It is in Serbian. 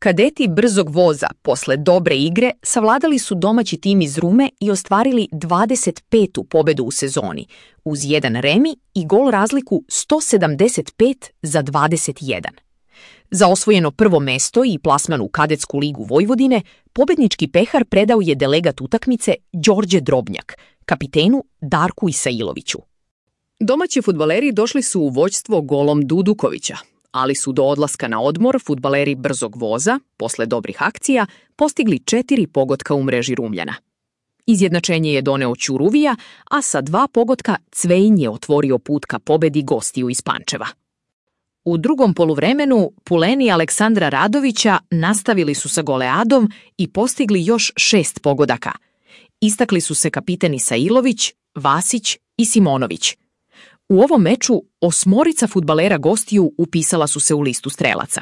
Kadeti Brzog voza posle dobre igre savladali su domaći tim iz Rume i ostvarili 25. pobedu u sezoni, uz jedan remi i gol razliku 175-21. Za osvojeno prvo mesto i plasman u Kadetsku ligu Vojvodine, pobednički pehar predao je delegat utakmice Đorđe Drobnjak, kapitenu Darku Isailoviću. Domaći fudbaleri došli su u vođstvo golom Dudukovića, ali su do odlaska na odmor fudbaleri Brzog voza, posle dobrih akcija, postigli 4 pogotka u mreži Rumljana. Izjednačenje je doneo Ćuruvija, a sa 2 pogotka Cvejin je otvorio put ka pobedi gostiju iz Pančeva. U drugom poluvremenu Puleni Aleksandra Radovića nastavili su sa goleadom i postigli još 6 pogodaka. Istakli su se kapiten Isailović, Vasić i Simonović. U ovom meču 8 fudbalera gostiju upisala su se u listu strelaca.